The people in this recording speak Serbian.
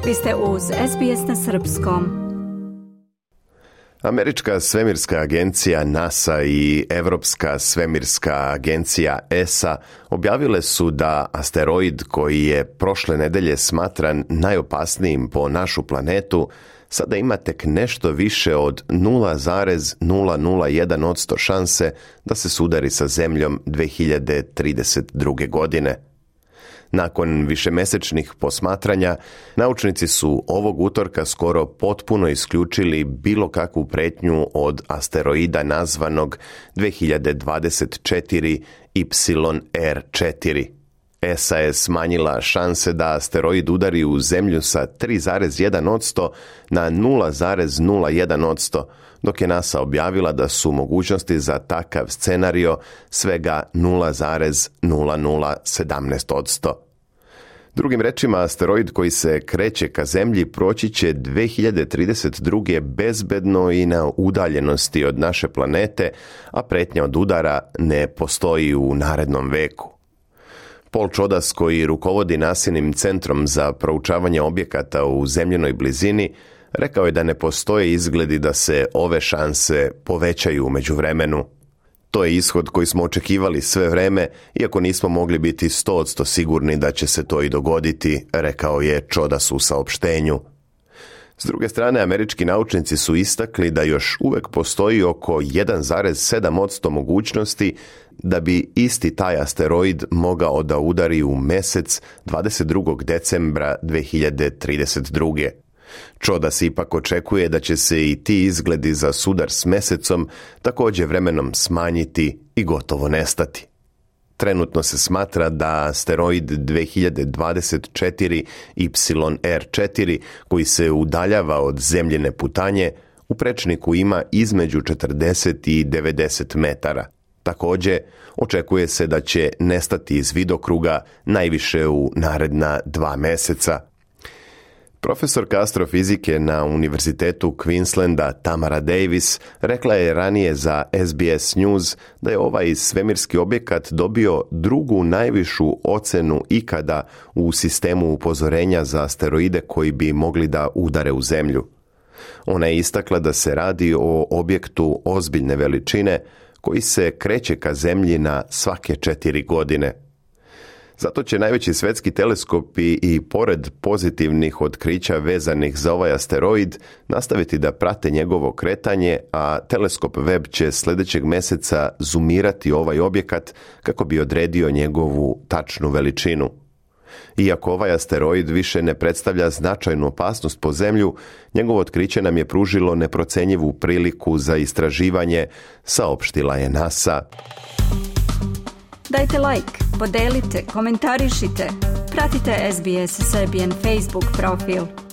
Vi ste uz SBS na srpskom. Američka svemirska agencija NASA i Evropska svemirska agencija ESA objavile su da asteroid koji je prošle nedelje smatran najopasnijim po našu planetu sada ima tek nešto više od 0,001% šanse da se sudari sa Zemljom 2032. godine. Nakon višemesečnih posmatranja, naučnici su ovog utorka skoro potpuno isključili bilo kakvu pretnju od asteroida nazvanog 2024 YR4. ESA je smanjila šanse da asteroid udari u Zemlju sa 3,1% na 0,01%, dok je NASA objavila da su mogućnosti za takav scenario svega 0,0017%. Drugim rečima, asteroid koji se kreće ka Zemlji proći će 2032. bezbedno i na udaljenosti od naše planete, a pretnja od udara ne postoji u narednom veku. Paul Chodas, koji rukovodi NASINim centrom za proučavanje objekata u zemljinoj blizini, rekao je da ne postoje izgledi da se ove šanse povećaju u međuvremenu. To je ishod koji smo očekivali sve vreme, iako nismo mogli biti 100% sigurni da će se to i dogoditi, rekao je Chodas u saopštenju. S druge strane, američki naučnici su istakli da još uvek postoji oko 1,7% mogućnosti da bi isti taj asteroid mogao da udari u Mesec 22. decembra 2032. Chodas ipak očekuje da će se i ti izgledi za sudar s Mesecom također vremenom smanjiti i gotovo nestati. Trenutno se smatra da asteroid 2024 YR4, koji se udaljava od zemljine putanje, u prečniku ima između 40 i 90 metara. Također, očekuje se da će nestati iz vidokruga najviše u naredna 2 meseca. Profesorka astrofizike na Univerzitetu Queenslanda Tamara Davis rekla je ranije za SBS News da je ovaj svemirski objekat dobio drugu najvišu ocenu ikada u sistemu upozorenja za asteroide koji bi mogli da udare u Zemlju. Ona je istakla da se radi o objektu ozbiljne veličine koji se kreće ka Zemlji na svake 4 godine. Zato će najveći svetski teleskopi i pored pozitivnih otkrića vezanih za ovaj asteroid nastaviti da prate njegovo kretanje, a teleskop Webb će sljedećeg meseca zoomirati ovaj objekat kako bi odredio njegovu tačnu veličinu. Iako ovaj asteroid više ne predstavlja značajnu opasnost po Zemlju, njegovo otkriće nam je pružilo neprocenjivu priliku za istraživanje, saopštila je NASA. Dajte like, podelite, komentarišite, pratite SBS Serbian Facebook profil.